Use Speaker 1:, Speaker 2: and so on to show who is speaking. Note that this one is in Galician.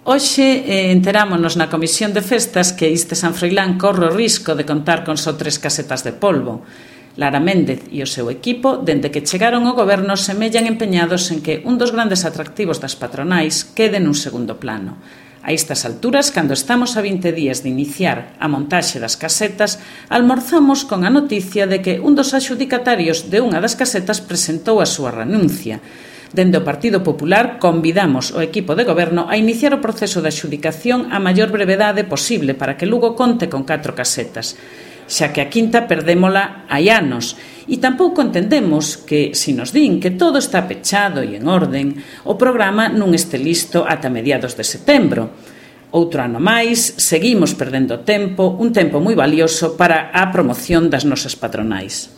Speaker 1: Hoxe enterámonos na Comisión de Festas que Iste San Froilán corre o risco de contar con só 3 casetas de polvo. Lara Méndez e o seu equipo, dende que chegaron ao goberno, semellan empeñados en que un dos grandes atractivos das patronais quede nun segundo plano. A estas alturas, cando estamos a 20 días de iniciar a montaxe das casetas, almorzamos con a noticia de que un dos adxudicatarios de unha das casetas presentou a súa renuncia. Dende o Partido Popular convidamos o equipo de goberno a iniciar o proceso de adxudicación a maior brevedade posible para que Lugo conte con 4 casetas, xa que a quinta perdémola hai anos. E tampouco entendemos que, se nos din que todo está pechado e en orden, o programa non este listo ata mediados de setembro. Outro ano máis, seguimos perdendo tempo, un tempo moi valioso para a promoción das nosas patronais.